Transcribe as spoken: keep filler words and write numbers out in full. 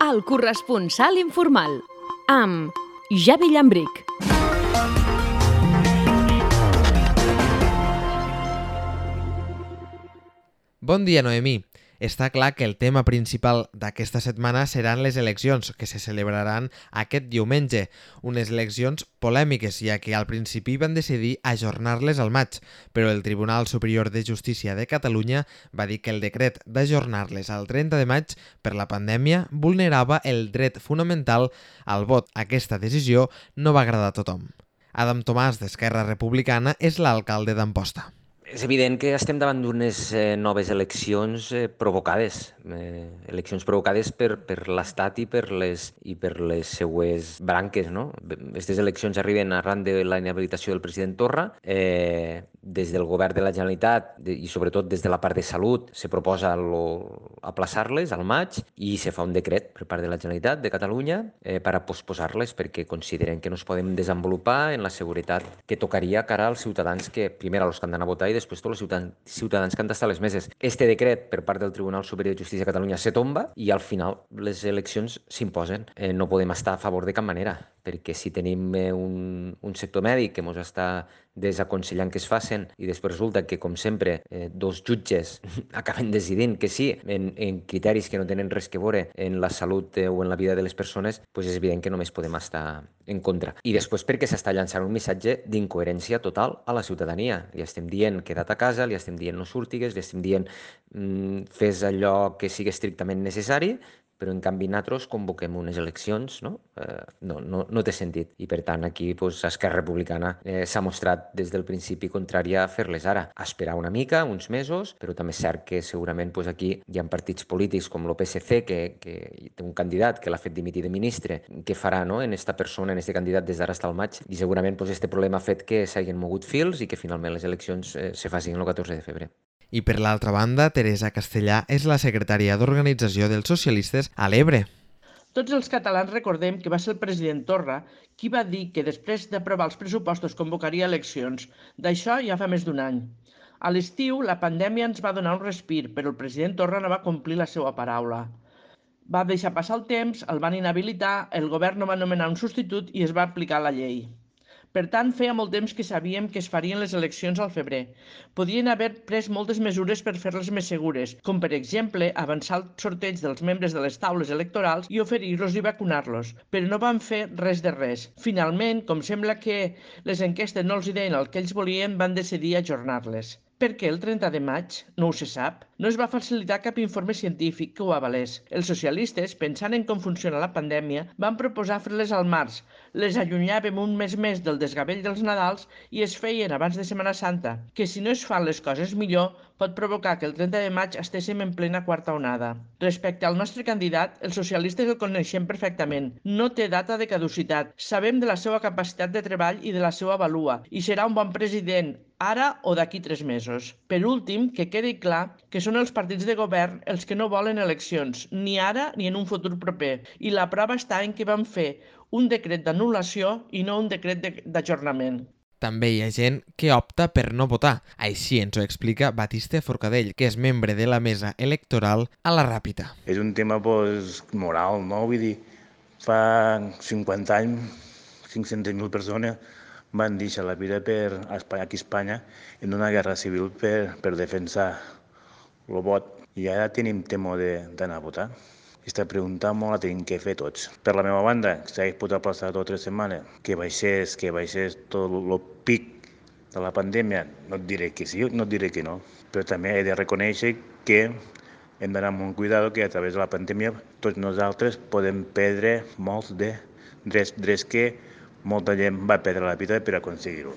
El corresponsal informal, amb Javi Llambric. Bon dia, Noemí. Està clar que el tema principal d'aquesta setmana seran les eleccions, que se celebraran aquest diumenge. Unes eleccions polèmiques, ja que al principi van decidir ajornar-les al maig, però el Tribunal Superior de Justícia de Catalunya va dir que el decret d'ajornar-les al trenta de maig per la pandèmia vulnerava el dret fonamental al vot. Aquesta decisió no va agradar a tothom. Adam Tomàs, d'Esquerra Republicana, és l'alcalde d'Amposta. És evident que estem davant d'unes eh, noves eleccions eh, provocades, eh, eleccions provocades per, per l'Estat i per les i per les seues branques, no? Aquestes eleccions arriben arran de la inhabilitació del president Torra. Eh, des del govern de la Generalitat de, i sobretot des de la part de Salut se proposa aplaçar-les al maig i se fa un decret per part de la Generalitat de Catalunya eh, per a posposar-les perquè consideren que no es poden desenvolupar en la seguretat que tocaria cara als ciutadans que, primer, als que han d'anar a votar i després tots els ciutadans, ciutadans que han d'estar a les meses. Este decret per part del Tribunal Superior de Justícia de Catalunya se tomba i al final les eleccions s'imposen. Eh, no podem estar a favor de cap manera, perquè si tenim eh, un, un sector mèdic que ens està desaconsellant que es facin i després resulta que, com sempre, eh, dos jutges acaben decidint que sí, en, en criteris que no tenen res que veure en la salut eh, o en la vida de les persones, doncs és evident que només podem estar en contra. I després perquè s'està llançant un missatge d'incoherència total a la ciutadania. Li estem dient queda't a casa, li estem dient no surtigues, li estem dient mm, fes allò que sigui estrictament necessari, però en canvi nosaltres convoquem unes eleccions, no? Eh, no, no, no té sentit. I per tant aquí doncs, Esquerra Republicana eh, s'ha mostrat des del principi contrària a fer-les ara. A esperar una mica, uns mesos, però també és cert que segurament doncs, aquí hi ha partits polítics com el P S C que, que té un candidat que l'ha fet dimitir de ministre. Què farà no? en esta persona, en este candidat des d'ara fins al maig? I segurament doncs, este problema ha fet que s'hagin mogut fils i que finalment les eleccions eh, se facin el catorze de febrer. I per l'altra banda, Teresa Castellà és la secretària d'Organització dels Socialistes a l'Ebre. Tots els catalans recordem que va ser el president Torra qui va dir que després d'aprovar els pressupostos convocaria eleccions. D'això ja fa més d'un any. A l'estiu, la pandèmia ens va donar un respir, però el president Torra no va complir la seva paraula. Va deixar passar el temps, el van inhabilitar, el govern no va nomenar un substitut i es va aplicar la llei. Per tant, feia molt temps que sabíem que es farien les eleccions al febrer. Podien haver pres moltes mesures per fer-les més segures, com per exemple avançar el sorteig dels membres de les taules electorals i oferir-los i vacunar-los, però no van fer res de res. Finalment, com sembla que les enquestes no els deien el que ells volien, van decidir ajornar-les. Per què el trenta de maig? No ho se sap. No es va facilitar cap informe científic que ho avalés. Els socialistes, pensant en com funciona la pandèmia, van proposar fer-les al març. Les allunyàvem un mes més del desgavell dels Nadals i es feien abans de Setmana Santa, que si no es fan les coses millor pot provocar que el trenta de maig estéssim en plena quarta onada. Respecte al nostre candidat, els socialistes el coneixem perfectament. No té data de caducitat. Sabem de la seva capacitat de treball i de la seva valua i serà un bon president, ara o d'aquí tres mesos. Per últim, que quedi clar que són els partits de govern els que no volen eleccions, ni ara ni en un futur proper. I la prova està en que van fer un decret d'anul·lació i no un decret d'ajornament. També hi ha gent que opta per no votar. Així ens ho explica Batiste Forcadell, que és membre de la mesa electoral a la Ràpita. És un tema pues, moral, no? Vull dir, fa cinquanta anys, cinc-centes mil persones van deixar la vida per Espanya, aquí a Espanya en una guerra civil per, per defensar el vot. I ara tenim temor d'anar a votar. Aquesta pregunta molt la tenim que fer tots. Per la meva banda, si hagués pogut aplaçar dues o tres setmanes, que baixés, que baixés tot el pic de la pandèmia, no et diré que sí, no et diré que no. Però també he de reconèixer que hem d'anar amb un cuidado que a través de la pandèmia tots nosaltres podem perdre molts de drets, drets que molta gent va perdre la vida per aconseguir-ho.